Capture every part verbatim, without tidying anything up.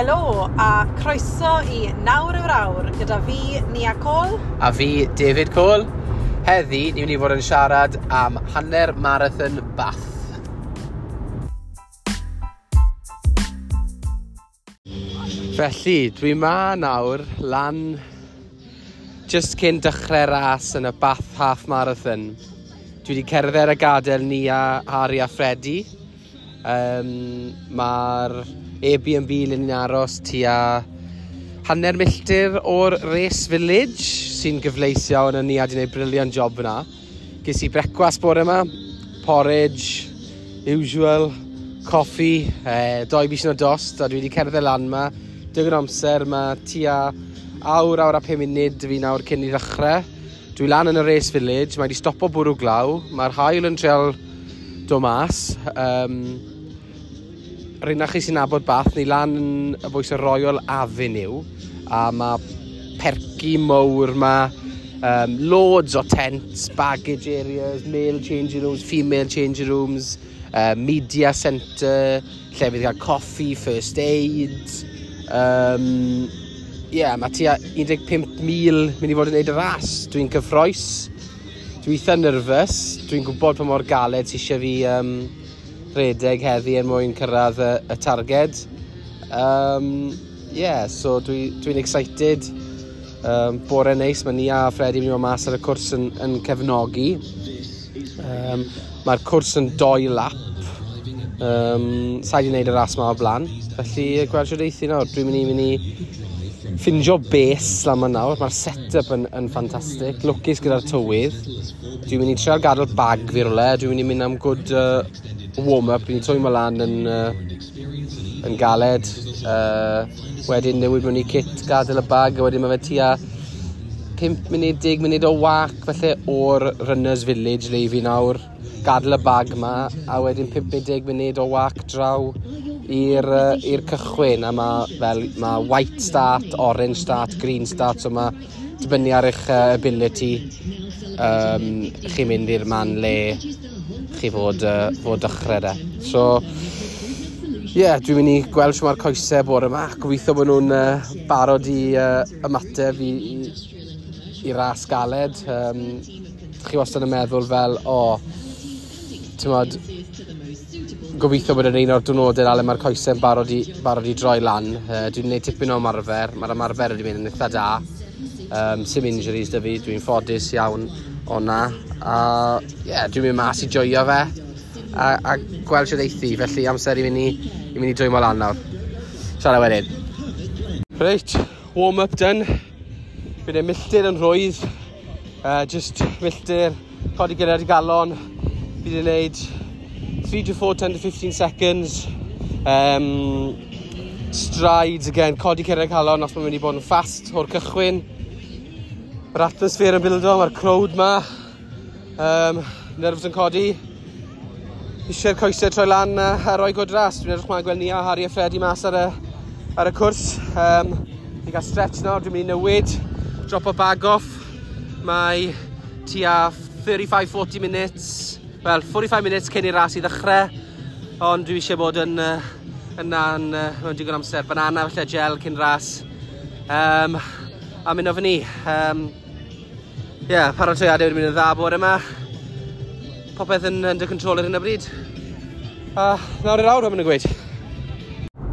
Helo a croeso i Nawr yw'r Awr gyda fi, Nia Cole. A fi, David Cole. Heddi, ni'n mynd i fod yn siarad am hanner marathon Bath. Felly, dwi ma nawr lan just cyn dechrau ras yn y Bath Half Marathon. Dwi wedi cerdded a gadael Nia, Harry a Freddie. Um, Mae'r Airbnb le ni'n aros tua hanner milltir o'r Race Village, sy'n gyfleus iawn, a Nia wedi gwneud brilliant job fyna. Ges i brecwast bore yma, porridge, usual, coffi, eh, doi bys o dost, a dwi wedi cerdded lan yma. Digon amser, mae tua awr, awr a pum munud fi nawr cyn i ddechrau. Dwi lan yn y Race Village, mae wedi stopo bwrw glaw, mae'r haul yn trial dod mas. Um, Rhaid na chi sy'n nabod Bath, ni lan yn y bwys y Royal Avenue, a mae perky mowr ma, um, loads o tents, baggage areas, male changing rooms, female changing rooms, uh, media centre, lle fydd gael coffi, first aid. Um, yeah, mae tua un deg pump mil mynd i fod yn neud y ras. Dwi'n cyffroes, dwi'n eitha nervous, dwi'n gwybod pa mor galed sy eisiau fi um, redeg heddi er mwyn cyrraedd y, y targed. Um, yeah, so dwi'n dwi excited. Um, bore neis, mae Nia a Freddie mynd i fod mas ar y cwrs yn, yn cefnogi. Um, Mae'r cwrs yn doi lap. Um, Sa i wedi gwneud y ras ma o blaen. Felly, gweld shwt eithi nawr. Dwi'n mynd i mynd i ffindio base lan ma nawr. Mae'r set-up yn, yn ffantastig. Lwcus gyda'r tywydd. Dwi'n mynd i trial gadael bag fi rywle. Dwi'n mynd i mynd am good uh, warm-up. Dwi'n twymo lan yn, uh, yn galed. Uh, wedyn newid mewn i kit, gadael y bag, a wedyn mae fe tua pump munud, deg munud o wac felly o'r Runners Village le i fi nawr. Gadael y bag ma, a wedyn pump neu deg munud o wac draw i'r uh, i'r cychwyn, a ma' fel, ma' white start, orange start, green start, so ma' dibynnu ar eich uh, ability, um, chi'n mynd i'r man le chi fod, uh, fod dechrau de. So, yeah, dwi'n mynd i gweld shwt mae'r coesau bore yma. Gobeithio bod nhw'n uh, barod i uh, ymateb i, i, i ras galed. Um, chi wastad yn meddwl fel, o, oh, ti'mod, gobeithio bod yn un o'r diwrnodau le mae'r coesau'n barod i, barod i droi lan. Uh, dwi'n gwneud tipyn o ymarfer, mae'r ymarfer wedi mynd yn eitha da. Um, sim injuries 'da fi, dwi'n ffodus iawn o na. A yeah, dwi'n mynd mas i joio fe a, a gweld shwt eithi, felly amser i mynd i, i mynd i dwymo lan nawr. Siarad wedyn. Reit, warm-up done. Bydd e milltir yn rhwydd. Uh, just milltir, codi gyrraedd i galon. Fi wedi gwneud three to four, ten to fifteen seconds. Um, strides again, codi cyrraedd calon os mae'n mynd i bod yn fast o'r cychwyn. Mae'r atmosphere yn bildo, mae'r crowd ma. Um, nerves yn codi. Eisiau'r coesau troi lan a, a roi good ras. Dwi'n edrych mlaen gweld Nia, Harry a Freddie mas ar y, ar y cwrs. Um, Fi'n cael stretch nawr, dwi'n mynd i newid. Drop o bag off. Mae tua thirty-five forty minutes. Wel, forty-five minutes cyn i'r ras i ddechrau. Ond dwi eisiau bod yn, uh, yna yn, uh, mewn digon amser. Banana falle gel cyn ras. Um, a mynd o fyny. Um, yeah, paratoiadau wedi mynd yn dda bore yma. Popeth yn under control ar hyn o bryd. A nawr i'r awr, am yn y gweud.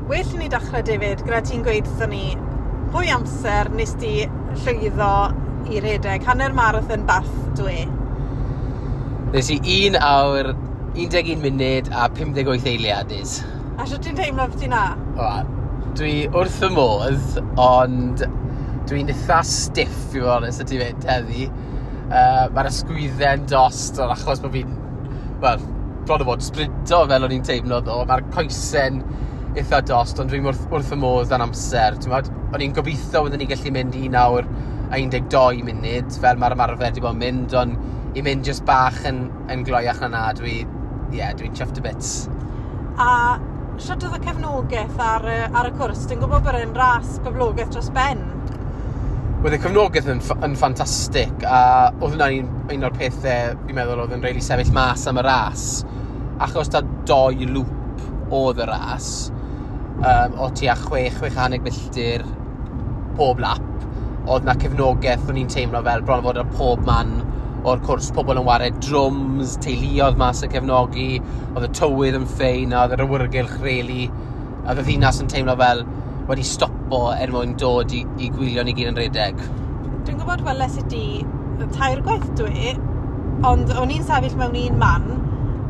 Well i ni dechrau, David, gyda ti'n gweud wrthon ni pwy amser nes ti llwyddo i redeg hanner marathon Bath dwe? Nes i un awr, un deg un munud a pum deg wyth eiliad, is. A sut ti'n teimlo beth na? O, dwi wrth fy modd, ond dwi'n eitha stiff, i fod yn onest, y ti fynd heddi. Uh, Mae'r ysgwyddau'n dost, ond achos bod fi'n, wel, bron o fod sprinto fel o'n i'n teimlo ddo. Mae'r coesau'n eitha dost, ond dwi'n wrth, wrth y modd dan amser. T'mod, o'n i'n gobeithio byddwn ni'n gallu mynd un awr a un deg dau munud, fel mae'r ymarfer wedi bod yn mynd, ond i mynd jyst bach yn, yn gloiach na na, dwi, yeah, dwi'n chuffed to bits. A sut oedd y cefnogaeth ar, ar y cwrs? Dwi'n gwybod bod e'n ras boblogaidd dros ben. Oedd y cefnogaeth yn, yn ffantastig, a oedd hwnna'n un, un o'r pethau fi'n meddwl oedd yn rili sefyll mas am y ras. Achos ta doi loop oedd y ras, um, o tua chwech, chwech hanner milltir pob lap. Oedd na cefnogaeth, o'n i'n teimlo fel bron o fod ar pob man o'r cwrs, pobl yn ware drums, teuluoedd mas yn cefnogi, oedd y tywydd yn ffein, a oedd yr awyrgylch really, a oedd y ddinas yn teimlo fel wedi stopo er mwyn dod i, i gwylio ni gyd yn redeg. Dwi'n gwybod weles i di tair gwaith dwi, ond o'n i'n sefyll mewn un man,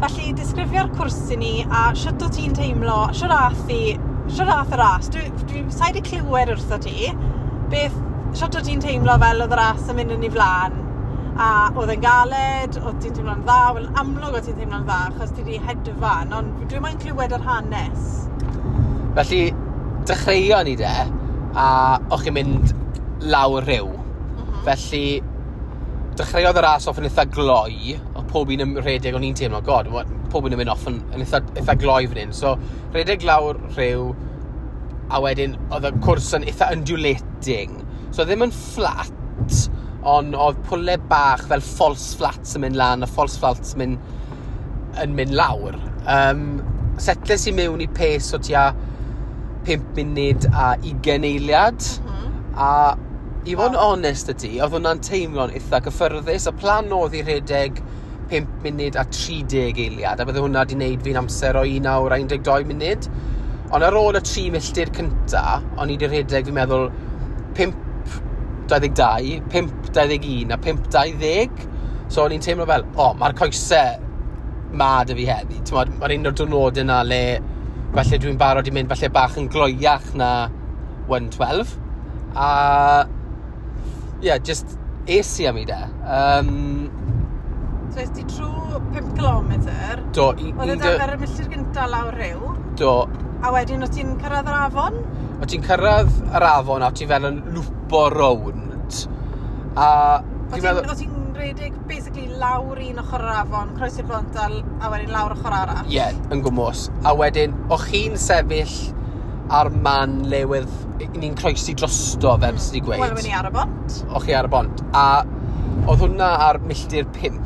felly disgrifio'r cwrs i ni a shwt o ti'n teimlo, shwt ath i, shwt ath y ras. Dwi, dwi sa'i di clywed wrtho ti, beth, shwt o ti'n teimlo fel oedd y ras yn mynd yn ei flaen, a oedd e'n galed, oedd ti'n teimlo'n dda, wel amlwg oedd ti'n teimlo'n dda, achos ti di hedfan, ond dwi'n moyn clywed yr hanes. Felly, dechreuon ni de, a o'ch chi'n mynd lawr rhyw. Mm -hmm. Felly, dechreuodd y ras off yn eitha gloi, oedd pob un yn rhedeg, o'n i'n teimlo, god, pob un yn mynd off yn, yn eitha, eitha gloi fan hyn. So, rhedeg lawr rhyw, a wedyn oedd y cwrs yn eitha undulating. So, ddim yn flat, ond oedd pwle bach fel false flats yn mynd lan, a false flats yn mynd, yn mynd lawr. Um, setles i mewn i pace o tua pump munud a ugain eiliad. Mm -hmm. A i fod yn onest y ti, oedd hwnna'n teimlo'n eitha gyffyrddus. Y plan oedd i rhedeg pump munud a tri deg eiliad, a bydde hwnna wedi wneud fi'n amser o un awr a un deg dau munud. Ond ar ôl y tri milltir cynta, o'n i wedi rhedeg, fi'n meddwl, pump dau ddeg dau, pump dau ddeg un a pump dau ddeg. So o'n i'n teimlo fel, o, oh, mae'r coesau ma 'da fi heddi. Mae'r un o'r diwrnodau yna le falle dwi'n barod i mynd falle bach yn gloiach na un deg dau. A ie, yeah, just es i am i de. Um, So es di trwy pum cilometr? Do. I, Oedd e ar y milltir gyntaf lawr rhyw? Do. A wedyn o ti'n cyrraedd yr afon? O ti'n cyrraedd yr afon a ti fel yn lwpo rownd. A O ti'n meddwl, ti'n rhedeg basically lawr un ochr yr afon, croesi'r bont a, a wedyn lawr ochr arall? Ie, yeah, yn gwmws. A wedyn, o chi'n sefyll ar man le wedd ni'n croesi drosto fel mm. sydd wedi gweud. Wel, wedi ar y bont. O chi ar y bont. A oedd hwnna ar milltir pump.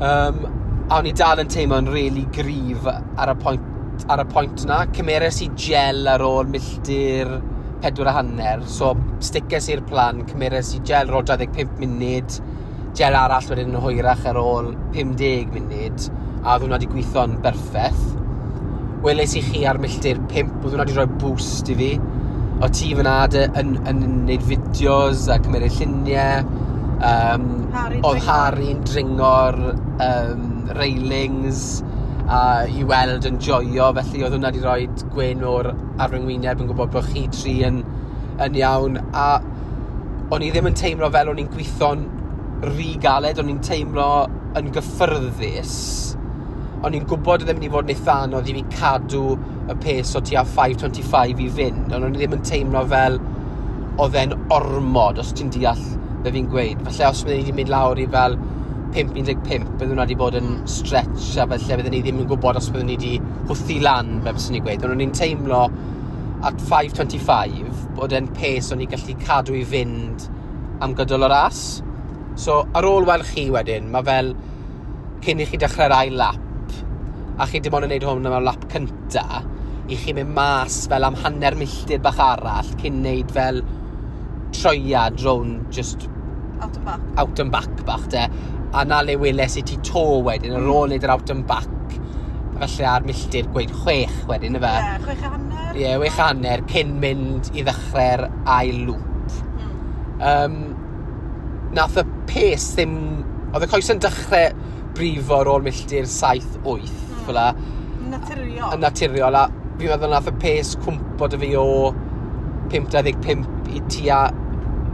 Um, a o'n i dal yn teimlo'n really gryf ar y pwynt, ar y pwynt na. Cymeres i gel ar ôl milltir pedwar a hanner. So, stices i'r plan, cymeres i gel ar ôl dau ddeg pump munud, gel arall wedyn yn hwyrach ar ôl pum deg munud, a oedd hwnna wedi gweithio'n berffaith. Weles i chi ar milltir pump, oedd hwnna wedi rhoi boost i fi. O ti fyna yn, yn, yn gwneud fideos a cymryd lluniau. Um, oedd Harry'n dringo'r um, railings a i weld yn joio, felly oedd hwnna wedi rhoi gwen o'r ar fy ngwyneb yn gwybod bod chi tri yn, yn iawn. A o'n i ddim yn teimlo fel o'n i'n gweithio'n rhy galed, o'n i'n teimlo yn gyffyrddus. O'n i'n gwybod oedd e'n mynd i fod yn eitha anodd i fi cadw y pace o tua pump dau ddeg pump i fynd, ond o'n i ddim yn teimlo fel oedd e'n ormod, os ti'n deall be fi'n gweud. Falle os byddwn ni wedi mynd lawr i fel pump un deg pump, byddwn hwnna wedi bod yn stretch a falle byddwn ni ddim yn gwybod os byddwn ni wedi hwthu lan, be byswn ni'n gweud. Ond o'n i'n teimlo at pump dau ddeg pump bod e'n pace o'n i'n gallu cadw i fynd am gydol y ras. So, ar ôl weld chi wedyn, mae fel cyn i chi dechrau'r ail lap, a chi dim ond yn neud hwn am y lap cynta, i chi mynd mas fel am hanner milltir bach arall cyn neud fel troiad rownd just out and back. Out and back bach de. A na le weles i ti to wedyn, ar ôl neud yr out and back, falle ar milltir gweud chwech wedyn, y fe? Ie, yeah, chwech a hanner. Ie, yeah, chwech a hanner cyn mynd i ddechrau'r ail loop. Mm. Um, nath y pace ddim... Oedd y coes yn dechrau brifo ar ôl milltir saith wyth, mm. fel la. Naturiol. Yn naturiol, a fi'n meddwl nath y pace cwmpo 'da fi o pump dau ddeg pump i tua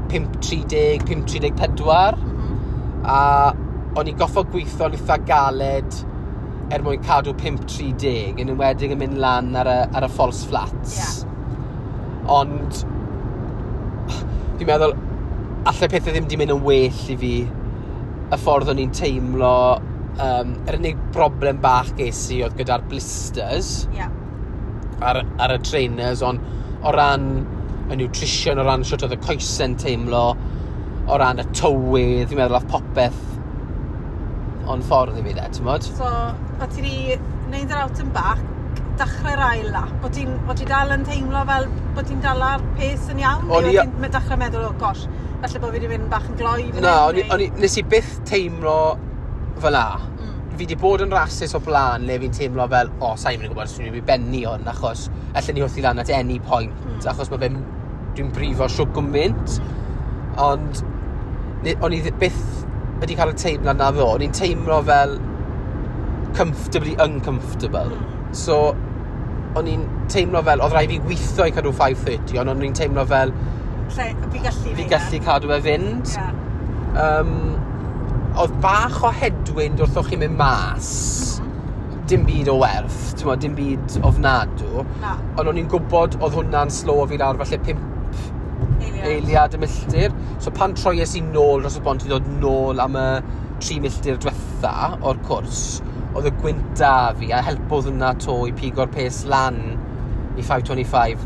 pump tri deg, pump tri deg pedwar. Mm -hmm. A o'n i goffo gweithio'n eitha galed er mwyn cadw pump tri deg, yn enwedig yn mynd lan ar y, ar y false flats. Yeah. Ond fi'n meddwl, allai pethau ddim di mynd yn well i fi y ffordd o'n i'n teimlo. Um, yr unig broblem bach ges i oedd gyda'r blisters yeah. ar, ar y trainers, ond o ran y nutrition, o ran shwt oedd y coesau'n teimlo, o ran y tywydd, fi'n meddwl oedd popeth o'n ffordd i fi de, ti'n mod? So, o ti di wneud yr out and back, dechrau'r ail lap, bod ti'n bod ti dal yn teimlo fel bod ti'n dal ar pace yn iawn? O'n Neu i- oedd ti'n dechrau meddwl, "Oh gosh, falle bod fi wedi mynd bach yn gloi fan Na, hyn," o'n i, neu- o'n i, nes i byth teimlo fel 'na. Mm. Fi wedi bod yn rasys o blaen le fi'n teimlo fel, "O, oh, sa'n mynd i gwybod os dwi'n mynd i benni hwn, achos allan ni wrthi lan at any point," Mm. achos mae fe'n, dwi'n brifo siwt gymaint. Ond, ne- o'n i ddi- byth wedi cael y teimlad na ddo. O'n i'n teimlo fel comfortably uncomfortable. Mm. So, o'n i'n teimlo fel, oedd rhaid fi weithio i cadw pump thirty, ond o'n i'n teimlo fel Lle, fi gallu fi neud e. gallu cadw e fynd. Ie. Um, oedd bach o headwind wrth o'ch chi'n mynd mas. Mm. Dim byd o werth, ti'n dim byd ofnadw. Na, Ond o'n i'n gwybod oedd hwnna'n slow fi lawr falle pump eiliad. eiliad y milltir. So pan troies i nôl dros y bont i ddod nôl am y tri milltir diwetha o'r cwrs, oedd y gwynt da fi a helpodd hwnna to i pigo'r pace lan i five twenty-five.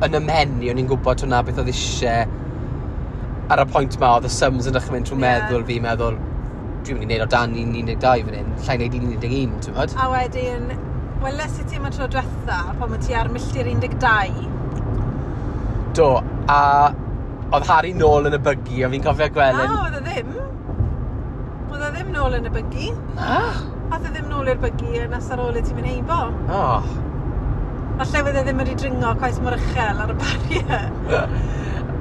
Yn 'y mhen i, o'n i'n gwybod hwnna beth oedd eisiau ar y pwynt ma, oedd y sums yn dechrau mynd trwy Ie. meddwl fi, meddwl, dwi'n mynd i wneud o dan un deg dau fan hyn, llai wneud un deg un, ti'n gwbod? A wedyn, weles i ti am y tro diwetha, pan wyt ti ar milltir un deg dau. Do, a oedd Harry nôl yn y buggy, a fi'n cofio gweld Na, yn oedd e ddim. Oedd e ddim nôl yn y buggy. Na? Ath e ddim nôl i'r buggy yn nes ar ôl i ti mynd heibo. Oh. Falle fydd e ddim wedi dringo cweit mor uchel ar y barrier.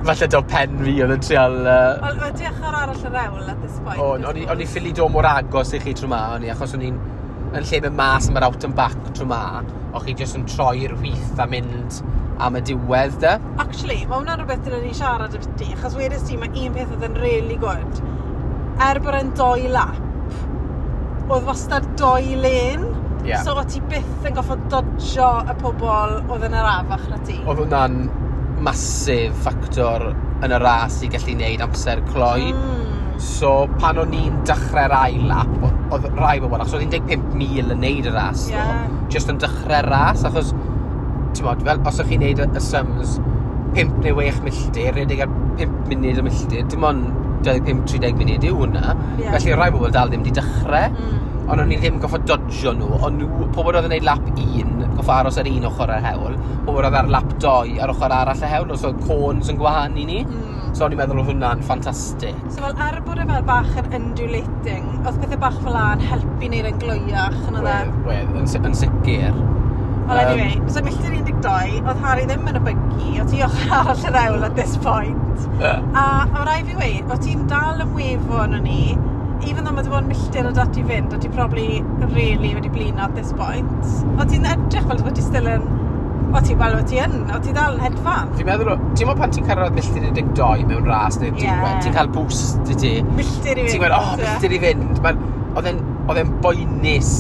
Falle do pen fi oedd yn trial. Uh, Wel, mae ti ochr arall yr hewl at this point. O, o'n i, o'n i ffili dod mor agos i chi tro ma, o'n i, achos o'n i'n yn lle mynd mas am yr out and back tro ma, o'ch chi jyst yn troi'r chwith a mynd am y diwedd de. Actually, mae hwnna'n rhywbeth dylen ni siarad ambiti, achos wedys ti, mae un peth oedd yn really good. Er bod e'n doi lap, oedd wastad doi lane. Ie. So o ti byth yn goffod dodjo y pobol oedd yn arafach na ti. Oedd hwnna'n massive ffactor yn y ras i gallu neud amser cloi. Mm. So, pan o'n i'n dechrau'r ail lap, oedd rai bobl, achos oedd un deg pump mil yn neud y ras, Ie. ddo, just yn dechrau'r ras, achos, ti'n mod, fel, os ydych chi'n neud y, y sums, pump neu chwech milltir, rhedeg ar pump munud y milltir, dim ond dau ddeg pump tri deg munud yw hwnna. Ie. Felly, rai bobl dal ddim wedi dechrau. Mm. Ond o'n i ddim goffod dodjo nhw, ond nhw, pobl oedd yn neud lap un, goffod aros ar un ochr yr hewl, pobl oedd ar lap dau ar ochr arall y hewl, os oedd cones yn gwahanu ni. Mm. So o'n i'n meddwl oedd hwnna'n ffantastig. So fel er bod e fel bach yn undulating, oedd pethau bach fel 'na yn helpu neud e'n gloiach yn oedd e. Wedd, wedd, yn, si- yn sicr. Well, Yym, anyway, so milltir un deg dau, oedd Harry ddim yn y buggy, oedd ti ochr arall yr hewl at this point. A o rai fi weud, o ti'n dal yn wefo arno ni, even though mae dy fod milltir o dati fynd, o ti probably really wedi blino at this point. O ti'n edrych fel bod ti still yn. O ti, wel, o ti yn, o ti dal yn hedfan. Fi'n meddwl, ti'n meddwl pan ti'n cyrraedd milltir un deg dau mewn ras neu'r Ie. diwedd, ti'n cael boost i ti. Milltir i fynd. Ti'n gweud, "Oh, ie. milltir i fynd." Ma'n- Oedd e'n oedd e'n boenus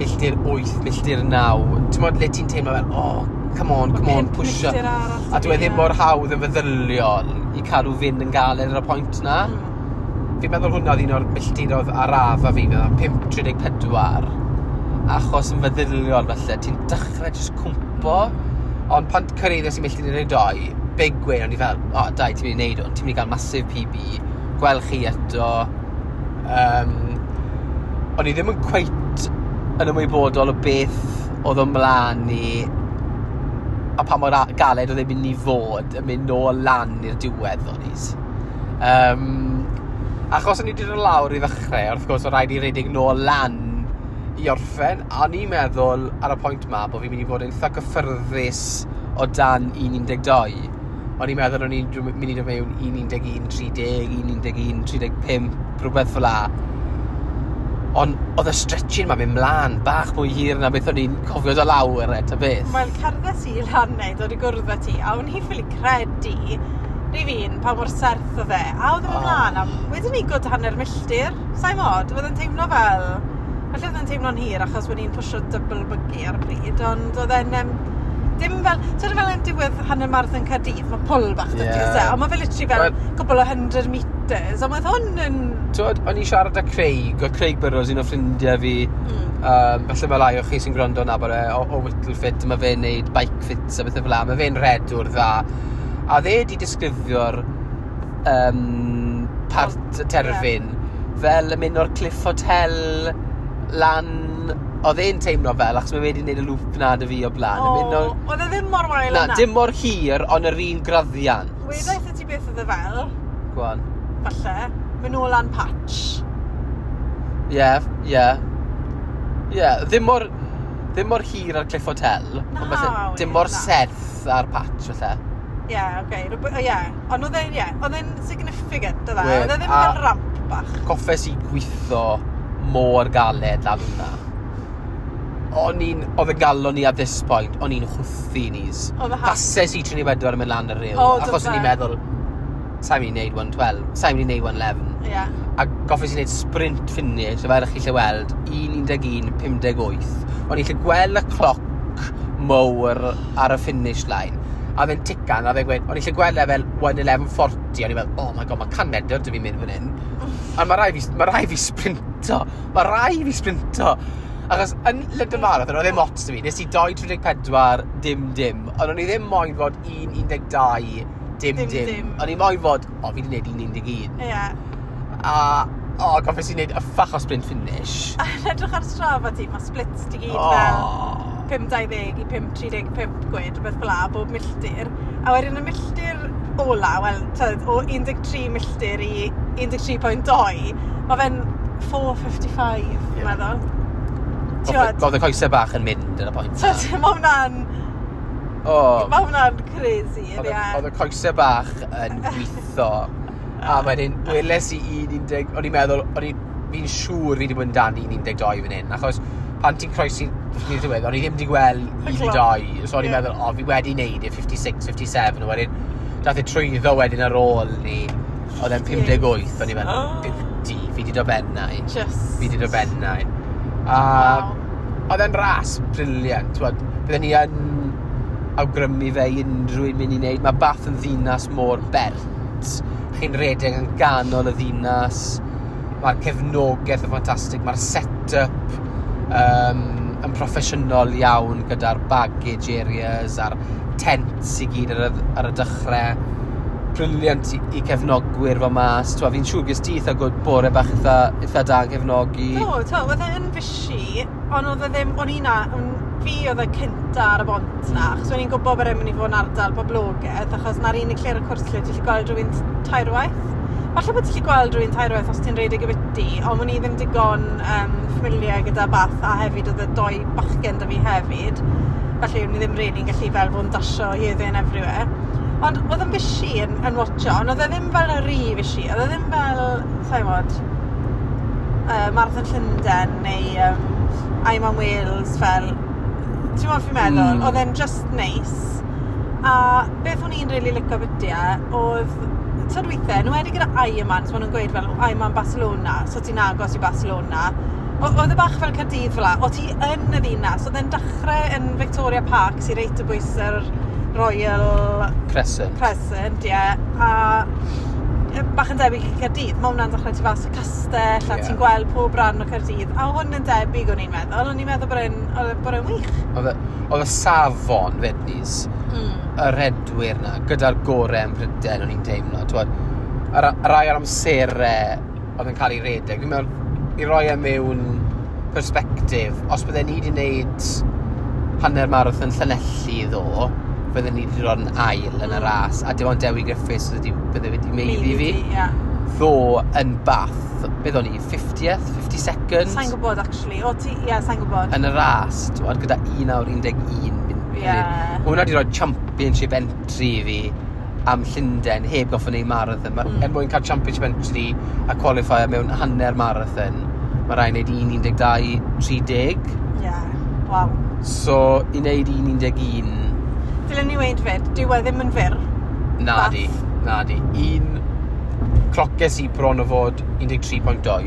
milltir wyth, milltir naw. Ti'n meddwl le ti'n teimlo fel, "Oh, come on, come on, Pump pwysio." milltir arall A dwi e ddim ie. mor hawdd yn feddyliol i cadw fynd yn galed ar y pwynt na. Mm. Fi'n meddwl hwnna oedd un o'r milltiroedd arafa fi, fel pump tri deg pedwar. Achos yn feddyliol falle, ti'n dechrau jyst cwmpo. Ond pan cyrhaeddes i milltir un deg dau, big win, o'n i fel, "O, oh, dai, ti'n mynd i wneud hwn, ti'n mynd i gael massive P B, gwel chi eto." Um, o'n i ddim yn cweit yn ymwybodol o beth oedd o'n mlaen i a pa mor a- galed oedd e'n mynd i fod yn mynd nôl lan i'r diwedd o'n i. Um, achos o'n i wedi dod lawr i ddechrau, wrth gwrs, oedd rhaid i redeg nôl lan i orffen, a o'n i'n meddwl ar y pwynt ma bod fi'n mynd i fod yn eitha gyffyrddus o dan un un deg dau. O'n i'n meddwl o'n i'n mynd i dod mewn un un un tri deg, un un un tri deg pump, rhywbeth fel 'a. Ond oedd y stretching ma'n mynd mlaen bach mwy hir na beth o'n i'n cofio dod lawr e, ta beth. Wel, cerddes i lan neu dod i gwrdd â ti, a o'n i ffili credu, rhif un, pa mor serth oedd e. A oedd e'n mynd Oh. mlaen am, wedyn ni gwd hanner milltir, sa'i mod, oedd e'n teimlo fel, falle oedd e'n teimlo'n hir achos o'n i'n pwsio double buggy ar y pryd, ond oedd e'n, um, dim fel, sort of fel yn diwedd hanner marathon Caerdydd, mae pwl bach 'da ti, Ie. oes e? Ond mae fe literally fel Wel- cwpl o hundred meters, ond oedd hwn yn. Twod, o'n i'n siarad â Craig, oedd Craig Burrows un o ffrindiau fi, Mm. um, falle mae lai o chi sy'n gwrando yn nabod e, o, o Whittle Fit, mae fe'n neud bike fits a bethau fel 'a, mae fe'n redwr dda. A dde di disgrifio'r um, part terfyn yeah. fel yn mynd o'r Cliff Hotel lan Oedd e'n teimlo fel, achos mae wedi gwneud y loop na dy fi o blaen. O, Yn mynd o- oedd e ddim mor wael Na, yna. dim mor hir, ond yr un graddiant. Wedaeth i ti beth oedd e fel, Go on. falle, mynd nôl lan patch. Ie, yeah, ie. Yeah. Ie, yeah, ddim mor, ddim mor hir ar Cliff Hotel. Na, ond falle wir, dim mor na. serth ar patch, falle. Ie, yeah, oce. Okay. Ie, ond oedd e'n, ie, oedd e'n significant, oedd e? Wedd, Oedd e ddim a- fel ramp bach. Goffes i gweithio mor galed lan hwnna. O'n i'n, oedd y galon ni at this point, o'n i'n chwthu nis. Oedd y ha- Pases i tri bedwar yn mynd lan y rhyw. O, do achos o'n i'n fe? meddwl, sa'n mynd i wneud un twelve, sa'n mynd i wneud un eleven. Ie. Yeah. A goffes i wneud sprint finish, a fel ych chi lle weld, un un un pum deg wyth. O'n i'n lle gweld y cloc mowr ar y finish line. A fe'n tican, a fe'n gweud, o'n i'n lle gweld e fel un eleven forty, o'n i'n meddwl, "Oh my God, mae can medr dy fi'n mynd fan hyn." A mae rai fi, mae rai fi sprinto, mae rai fi sprinto. Achos yn London Marathon, oedd ddim ots 'da fi, nes i dau tri pedwar dim dim, ond o'n i ddim moyn fod un un dau dim Dim, dim. dim. O'n i moyn fod, o, fi wedi gwneud un un. Ie. Yeah. A, o, goffes i wneud yffach o sprint finish. A yn edrych ar Strava ti, mae splits ti gyd O. fel pum dau ddeg i pum tri pump gwed, rhywbeth fel la, bob milltir. A wedyn y milltir ola, wel, tyd, o un deg tri milltir i un deg tri pwynt dau, mae fe'n four fifty-five, Ie. fi'n meddwl. Ti'n gwbod? Oedd y coesau bach yn mynd yn y pwynt. Tyd, mae hwnna'n, O, mae hwnna'n crazy, oedd y- ie. oedd y coesau bach yn gweithio. A wedyn, weles i un un, o'n i'n meddwl, o'n i, fi'n siŵr fi wedi bod yn dan un un dau fan hyn, achos pan ti'n croesi i'r diwedd, o'n i ddim wedi gweld Y un dau, so o'n i'n Ie. meddwl, o, fi wedi neud e fifty-six, fifty-seven, a wedyn, dath e trwyddo wedyn ar ôl ni, oedd e'n pum deg wyth, o'n i'n meddwl, Oh. "Beauty, fi wedi dod bennau." Just. Fi wedi dod bennau. A Wow. oedd e'n ras brilliant, t'wod, bydden ni yn awgrymu fe i unrhyw un mynd i wneud. Mae Bath yn ddinas mor bert. Chi'n redeg yn ganol y ddinas. Mae'r cefnogaeth yn ffantastig. Mae'r set-up um, yn proffesiynol iawn gyda'r baggage areas a'r tents i gyd ar y, ar y dechrau. Brilliant i, i cefnogwyr fo mas. T'wod, fi'n siŵr ges ti eitha good bore bach eitha, eitha da yn cefnogi. Do, to, oedd e yn fishy, ond oedd e ddim, o'n i na, o'n, fi oedd y cynta ar y bont na, achos o'n i'n gwybod bod e'n mynd i fod yn ardal boblogaidd, achos na'r unig lle ar y cwrs lle ti'n gallu gweld rhywun tairwaith. Falle bod ti'n gallu gweld rhywun tairwaith os ti'n rhedeg y biti, ond o'n i ddim digon um, familiar gyda Bath, a hefyd oedd y doi bachgen da fi hefyd. Felly o'n i ddim really'n gallu fel fod yn dasio here, there and everywhere. Ond oedd yn fishy yn, yn watcho, ond oedd e ddim fel y rhy fishy, oedd e ddim fel, sa'n gwybod, uh, Marathon Llundain neu um, Ironman Wales fel, ti'n gwybod fi'n meddwl, Mm. oedd e'n just nice. A beth o'n i'n really licio biti e, oedd, tyd weithiau, nhw wedi gyda Ironman, so maen nhw'n gweud fel Ironman Barcelona, so ti'n agos i Barcelona. O- Oedd e bach fel Caerdydd fel la, o ti yn y ddinas, oedd e'n dechrau yn Victoria Park, sy'n reit o bwys yr Royal Crescent. Crescent, ie, a yy, bach yn debyg i Caerdydd. Mae hwnna'n dechrau tu fas y castell, a Ie. ti'n gweld pob rhan o Caerdydd. A hwn yn debyg o'n i'n meddwl. O'n i'n meddwl bod e'n oedd e- bod e'n wych. Oedd y, oedd y safon, fednis, Mm. y redwyr na, gyda'r gorau yn Prydain, o'n i'n teimlo. T'wod, y ra- y rai o'r amserau oedd yn cael ei redeg. Fi'n meddwl, i roi e mewn perspective, os bydden ni wedi gwneud hanner marathon Llanelli ddo, bydden ni wedi dod yn ail yn y Mm. ras, a dim ond Dewi Griffiths bydde wedi, bydde wedi meiddi fi. Ie. Ddo yn Bath, beth o'n i, fiftieth, fifty-second? Sa'n gwybod, actually. O, ti, ie, sa'n gwybod. Yn y ras, t'wod, gyda un awr un deg un mun- Ie. munud. Hwnna wedi rhoi championship entry i fi am Llundain, heb goffo wneud marathon. Ma, Mm. Er mwyn cael championship entry a qualifier mewn hanner marathon, mae rhaid wneud un un dau tri deg. Ie. Waw. So, i wneud un un un. Dylen ni weud fyd, dyw e ddim yn fyr. Na Bath. di, na di. Un cloces i bron o fod un deg tri pwynt dau.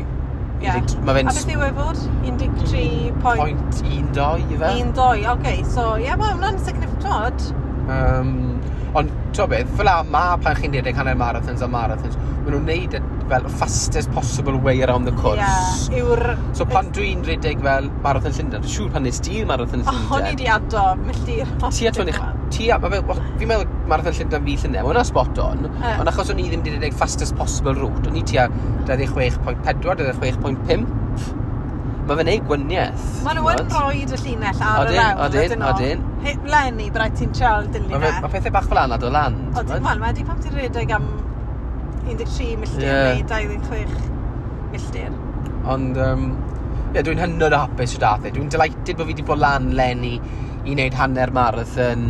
Ie. Mae fe'n A beth yw e fod? un deg tri pwynt pwynt un dau i fe. un dau. Oce, so ie, yeah, mae hwnna'n significant. Um, ond, ti'n beth, fel la ma pan chi'n redeg hanner marathons a marathons, maen nhw'n neud e fel fastest possible way around the course. Ie, yw'r... So pan dwi'n redeg fel Marathon Llundain, dwi'n siŵr pan nes di Marathon O, Llundain. o'n i di ado milltir. Ti a twenty, ti a, ma fe, fi'n meddwl Marathon Llundain fi llynedd, mae hwnna spot on, Ie. ond achos o'n i ddim wedi redeg fastest possible route, o'n i tua dau ddeg chwech pwynt pedwar, dau ddeg chwech pwynt pump, Mae fe'n neud gwaniaeth. Maen nhw yn rhoi y llinell ar Odyn, yr hewl. Odyn, odyn. Lenny, braidd ti'n trial dilyn e. Mae pethau bach fel yna dod lan. Odyn, wel, mae di pam ti'n rhedeg am un deg tri milltir yeah. neu dau ddeg chwech milltir. Ond, um, yeah, dwi'n hynod o hapus o dath e. Dwi'n delighted bod fi wedi bod lan Lenny i wneud hanner marathon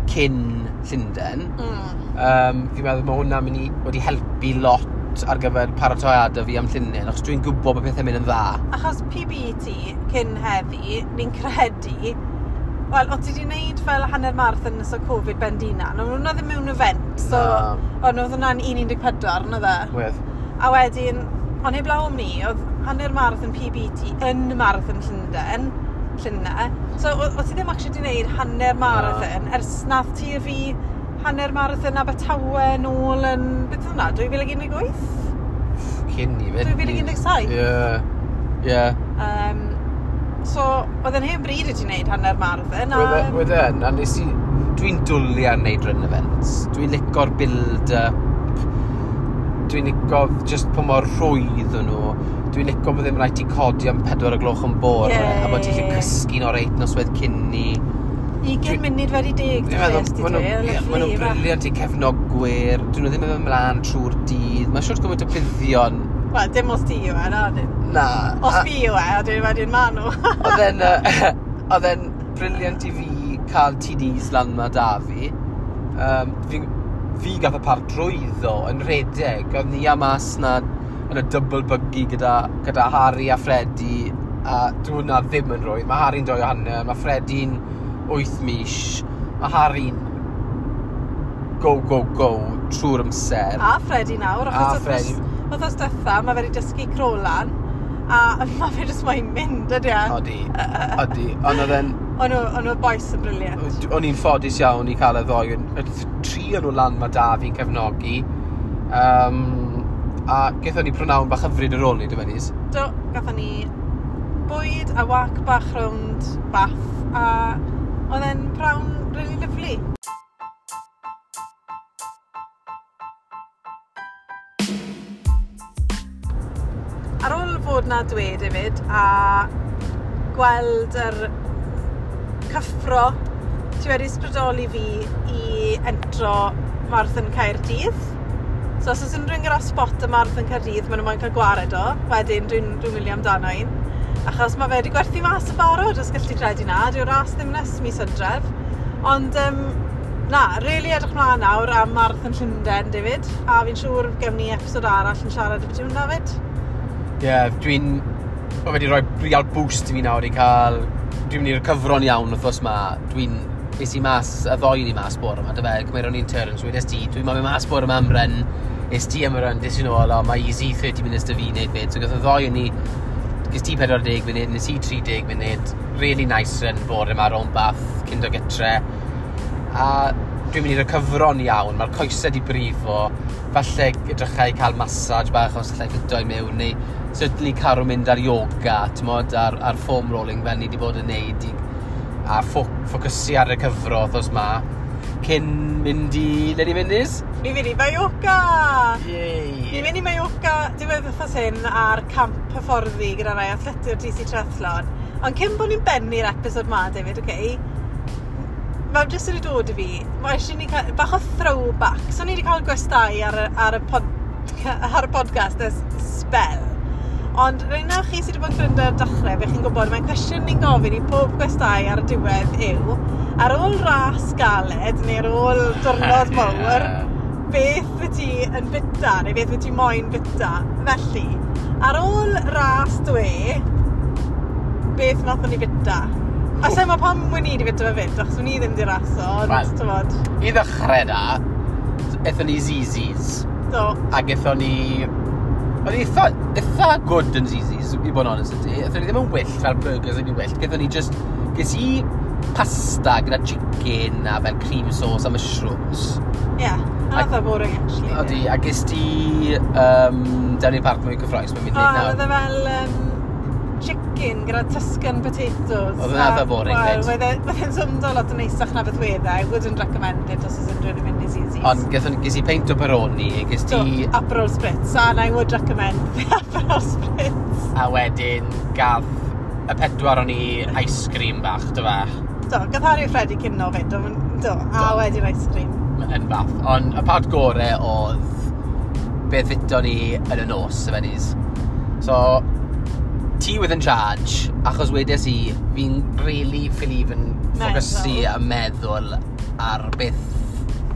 cyn Llundain. Mm. Um, fi'n meddwl mae hwnna'n mynd i wedi helpu lot ar gyfer paratoiadau fi am Llundain, achos dwi'n gwybod bod pethau'n mynd yn dda. Achos P B T cyn heddi, ni'n credu, wel, o ti wedi wneud fel hanner marathon nes o Covid ben dina, ond hwnna ddim mewn event, so, ond oedd hwnna'n un un deg pedwar, na dde? Wedd. A wedyn, ond heblaw am ni, oedd hanner marathon P B T yn marathon Llundain, Llundain, so o, o ti ddim actually wedi wneud hanner marathon, ers nath ti a fi hanner marathon Abertawe nôl yn, beth oedd hwnna, dwy fil ag un deg wyth? Cyn i fynd. dwy fil ag un deg saith? Ie, ie. Um, so, oedd yn hen bryd i ti wneud hanner marathon. A... Wedd e, a nes i, dwi'n dwlu ar wneud run events. Dwi'n lico'r build-up. Dwi'n lico just pa mor rhwydd o'n nhw. Dwi'n lico bod ddim rhaid ti codi am pedwar o gloch yn bore, yeah. a bod ti'n gallu cysgu'n oreit noswaith cyn ni. Ugain munud wedi deg, dwi'n meddwl, maen nhw'n briliant i cefnogwyr, dyn nhw ddim yn mynd ymlaen trwy'r dydd, mae'n siwr gymaint o buddion. Wel, dim os ti yw e, na, dyn. Na. Os fi yw e, a dyn wedyn ma nhw. Oedd e'n, oedd e'n briliant i fi cael T Ds lan ma da fi. Um, fi, fi gath y par drwyddo yn rhedeg, oedd ni a mas na yn y double buggy gyda, gyda Harry a Freddie, a dwi hwnna ddim yn rhwydd. Mae Harry'n doi o hanner, mae Freddie'n wyth mis, mae Harry'n go, go, go trwy'r amser. A Freddie nawr, achos A Freddie. Wythnos diwetha, mae fe wedi dysgu crolan, a mae fe jyst moyn mynd, ydy e? Odi, odi. Ond oedd e'n... O'n nhw'r boys yn briliant. O'n i'n ffodus iawn i cael y ddoi. Y tri o'n nhw lan mae da fi'n cefnogi. Um, a gaethon ni prynawn bach hyfryd ar ôl ni, dy Fenis? Do, gaethon ni bwyd a wac bach rownd Bath, a oedd e'n prawn really lovely. Ar ôl fod na dwed hefyd a gweld yr cyffro, ti wedi ysbrydoli fi i entro Marathon Caerdydd. So os oes unrhyw un gyda spot y Marathon Caerdydd, maen nhw moyn cael gwared o. Wedyn dwi'n dwi wylio amdano un. Achos mae fe wedi gwerthu mas y barod, os gallu credu na. Dyw'r ras ddim nes mis Hydref. Ond um, na, really edrych mlaen nawr am Marathon Llundain, David. A fi'n siŵr gewn ni episod arall yn siarad ambiti hwnna fyd. Ie, yeah, dwi'n... Mae wedi rhoi real boost i fi nawr i cael... Dwi'n mynd i'r cyfron iawn wythnos ma. Dwi'n... Es i mas, y ddoi ni mas bore yma, dy fe, cymeron ni'n turns, wedes ti, dwi'n mynd mas bore yma am run, es ti am y run, des i nôl, o, mae easy thirty minutes dy fi wneud fyd. So gath y ddoi ni, ges ti pedwar deg munud, nes i tri deg munud, really nice run bore yma rownd Bath, cyn dod gytre. A dwi'n mynd i'r cyfron iawn, mae'r coesau di brifo, falle edrychau cael massage bach os allai ffito i mewn, neu certainly cael mynd ar yoga, t'mod, ar, ar foam rolling fel ni wedi bod yn neud, i, a ffo ffocysu ar y cyfro wythnos ma, cyn mynd i... Le ni mynd, Liz? Ni fynd i Mallorca! Yay! Ni'n mynd i Mallorca diwedd wythnos hyn ar camp hyfforddi gyda rai athletwyr D C Triathlon. Ond cyn bod ni'n bennu'r episod ma, David, oce, okay, mae jyst wedi dod i fi, mae eisiau ni cael bach o throwback. So ni wedi cael gwestai ar y, ar y, pod, ar y podcast ers spel. Ond rhaid chi sydd wedi bod yn gwrando ar dechrau, fe chi'n gwybod, mae'n cwestiwn ni'n gofyn i pob gwestai ar y diwedd yw, ar ôl ras galed neu ar ôl diwrnod mawr, beth wyt ti yn bita neu beth wyt ti moyn bita? Felly, ar ôl ras dwe, beth nathon ni bita? A sa'n meddwl pam wn i wedi bita fe fyd, achos wn i ddim wedi raso, ond well, t'mod. I ddechrau da, aethon ni Zizis. Do. Ac aethon ni... Oedd eitha, eitha good yn Zizis, i bod yn honest ydw i. Aethon ni ddim yn wyllt fel burgers yn wyllt. Gaethon ni just... Ges i pasta gyda chicken a fel cream sauce a mushrooms. Ie, yeah, and eitha boring actually. Odi, a ges ti um, down i'r parc mwy cyffroes, mae'n mynd i nawr. O, oedd e fel um, chicken gyda Tuscan potatoes. Oedd e'n eitha boring, fyd. Wel, oedd e'n swmdo lot yn neisach na beth wedd e. I wouldn't recommend it os oes unrhyw un yn mynd i Zizis. Ond gaethon, ges i peint o Peroni, ges ti... So, Aperol Spritz, and I would recommend the Aperol Spritz. A wedyn gath y pedwar o'n i ice cream bach, do fe? Do, gath Harry a Freddie cino fyd, do, do, a Do. wedyn ice cream. Yn Bath. Ond y part gore oedd beth fito ni yn y nos, y fenis. So, ti with in charge, achos wedes i, fi'n really ffili yn ffocysu Meddwl. a meddwl ar beth,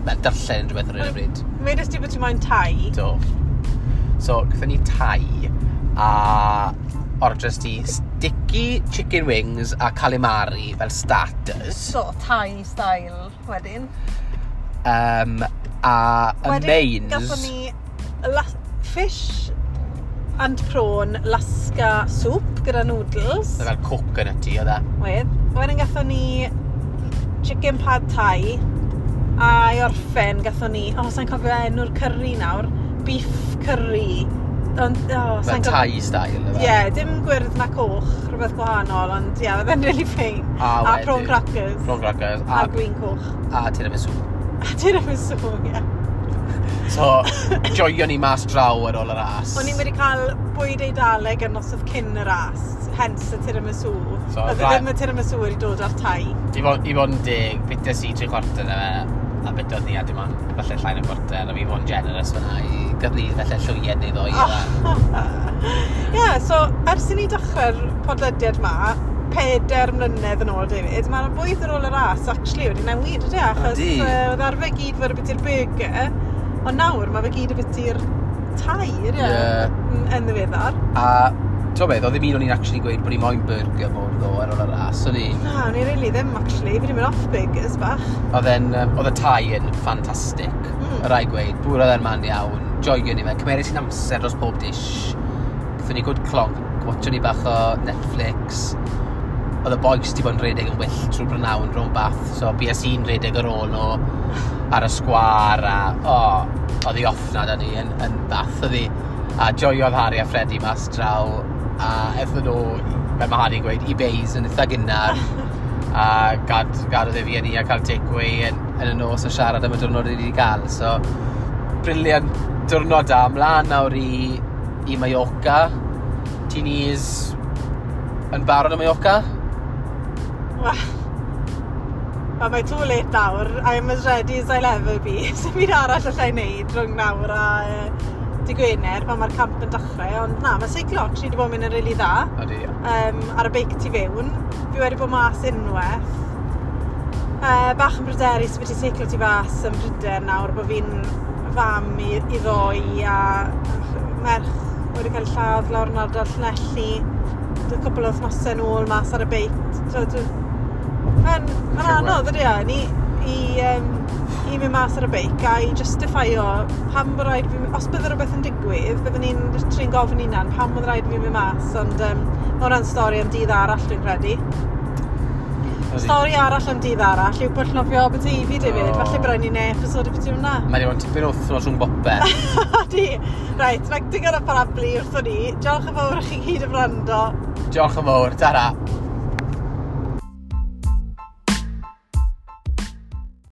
fel darllen unrhyw beth ar hyn o bryd. Wedes ti bod ti moyn Thai. Do. So, gathon ni Thai a orders ti sticky chicken wings a calamari fel starters. So, Thai style wedyn. Um, a y Wedyn, mains... gathon ni la- fish and prawn lasca soup gyda noodles. Oedd e fel coconut tea, oedd e? Wedd. Wedyn gathon ni chicken pad thai. A i orffen gathon ni, oh, sa'n cofio enw'r curry nawr, beef curry. Ond, oh, Fel sa'n cofio... Thai style, oedd e? Ie, yeah, dim gwyrdd na coch, rhywbeth gwahanol, ond ie, yeah, oedd e'n really fine. A A prawn wedyn- crackers. Prawn crackers. A A, gwin coch. a tiramisu. A tiramisu, ie. So, joio ni mas draw ar ôl y ras. O'n i'n wedi cael bwyd Eidaleg yn noswaith cyn y ras, hence y tiramisu. So, Oedd ra- ddim y tiramisu wedi dod ar Thai. I fod, i fod yn deg, bites i tri chwarter na fe, a bitodd ni a dim ond falle llai na chwarter, a fi fod yn generous fyna i gath ni falle llwyed neu ddoi. Ie, yeah, so ers i ni dechrau'r podlediad ma, pedair mlynedd yn ôl, David, mae'r bwyd ar ôl y ras actually wedi newid, ydy? Achos Ydi. uh, oedd arfer gyd fod biti'r burger, ond nawr mae fe gyd biti'r Thai, ydy? Ie. Yn, yn ddiweddar. A, ti'n beth, oedd ddim un o'n i'n actually gweud bod ni moyn burger mor ddo ar ôl y ras, o'n i. Na, o'n i really ddim, actually. Fi wedi mynd off burgers bach. Oedd e'n, um, oedd y Thai yn ffantastig, Mm. mm. y rai gweud, bwr oedd e'n man iawn, joio ni fe, cymeres i'n amser dros pob dish, gathon ni good clonk, watcho ni bach o Netflix, oedd y boys di bod yn redeg yn wyllt trwy'r brynawn rownd Bath, so bues i'n redeg ar ôl nhw ar y sgwar, a o, oh, oedd hi off na da ni yn, yn Bath, oedd hi, a joiodd Harry a Freddie mas draw, a ethon nhw, fel mae Harry'n gweud, i beis yn eitha gynnar, a gad, gadodd e fi a ni a cael takeaway yn, yn y nos a siarad am y diwrnod ni wedi cael. So, brilliant diwrnod da. Mlaen nawr i, i Mallorca. Ti'n yn barod am Mallorca? Wel, well, mae too late nawr. I'm as ready as I'll ever be. Sdim byd arall allai wneud rhwng nawr a uh, dy Gwener pan mae'r camp yn dechrau. Ond na, mae seiclo actually wedi bod yn mynd yn rili dda. Ydy. Um, ar y beic tu fewn. Fi wedi bod mas unwaith. Uh, bach yn bryderus wedi seiclo tu fas yn Prydain nawr bod fi'n fam i, i ddoi a merch wedi cael lladd lawr yn ardal Llanelli. Dwy cwpl o wythnosau nôl mas ar y beic. So, dwi- Mae'n ma anodd ydy e, ni i, um, i mynd mas ar y beic a i justifio pam bod rhaid fi, os bydde rhywbeth yn digwydd, byddwn ni'n literally'n gofyn hunan pam bod rhaid fi mynd mas, ond um, mae hwnna'n stori am dydd arall dwi'n credu. Stori arall am dydd arall yw pwll nofio Aberteifi, David. O. Falle bod rhaid ni neud episode o beth hwnna. Mae wedi bod yn tipyn o wythnos rhwng bopeth. Ydi. Reit, mae digon o parablu wrthon ni. Diolch yn fawr i chi gyd am wrando. Diolch yn fawr. Tara.